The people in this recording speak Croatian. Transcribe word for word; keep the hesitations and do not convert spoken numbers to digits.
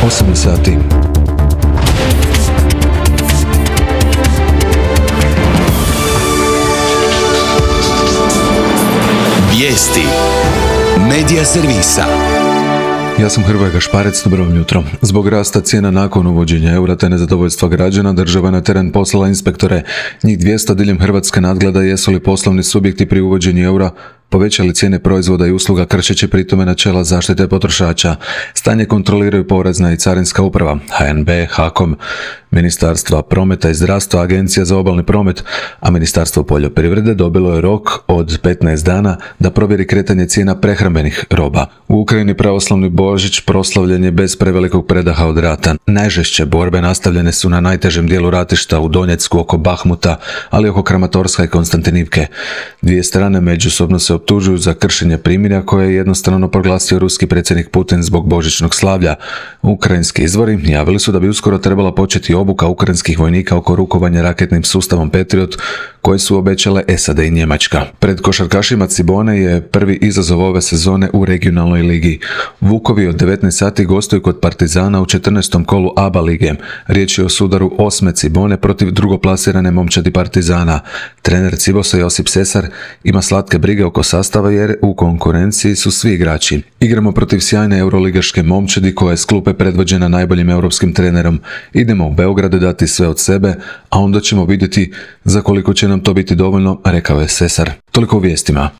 osam sati. Vijesti Medija servisa. Ja sam Hrvoje Gašparec, dobro vam jutro. Zbog rasta cijena nakon uvođenja eura te nezadovoljstva građana, država je na teren poslala inspektore. Njih dvjesto diljem Hrvatske nadgleda jesu li poslovni subjekti pri uvođenju eura povećali cijene proizvoda i usluga kršeći pritome načela zaštite potrošača. Stanje kontroliraju Porezna i Carinska uprava, H N B, HAKOM, Ministarstva prometa i zdravstva, Agencija za obalni promet, a Ministarstvo poljoprivrede dobilo je rok od petnaest dana da provjeri kretanje cijena prehrambenih roba. U Ukrajini pravoslavni Božić proslavljen je bez prevelikog predaha od rata. Najžešće borbe nastavljene su na najtežem dijelu ratišta u Donjecku oko Bahmuta, ali oko Kramatorska i Konstantinivke. Dvije strane međusobno se optužuju za kršenje primirja koje je jednostrano proglasio ruski predsjednik Putin zbog božićnog slavlja. Ukrajinski izvori javili su da bi uskoro trebala početi obuka ukrajinskih vojnika oko rukovanja raketnim sustavom Patriot koje su obećale S A D i Njemačka. Pred košarkašima Cibone je prvi izazov ove sezone u regionalnoj ligi. Vukovi od devetnaest sati gostuju kod Partizana u četrnaestom kolu A B A lige. Riječ je o sudaru osme Cibone protiv drugoplasirane momčadi Partizana. Trener Cibosa Josip Sesar ima slatke brige oko sastava jer u konkurenciji su svi igrači. Igramo protiv sjajne euroligaške momčadi koja je s klupe predvođena najboljim europskim trenerom. Idemo u Beograd dati sve od sebe, a onda ćemo vidjeti za koliko će nam to biti dovoljno, rekao je Sesar. Toliko u vijestima.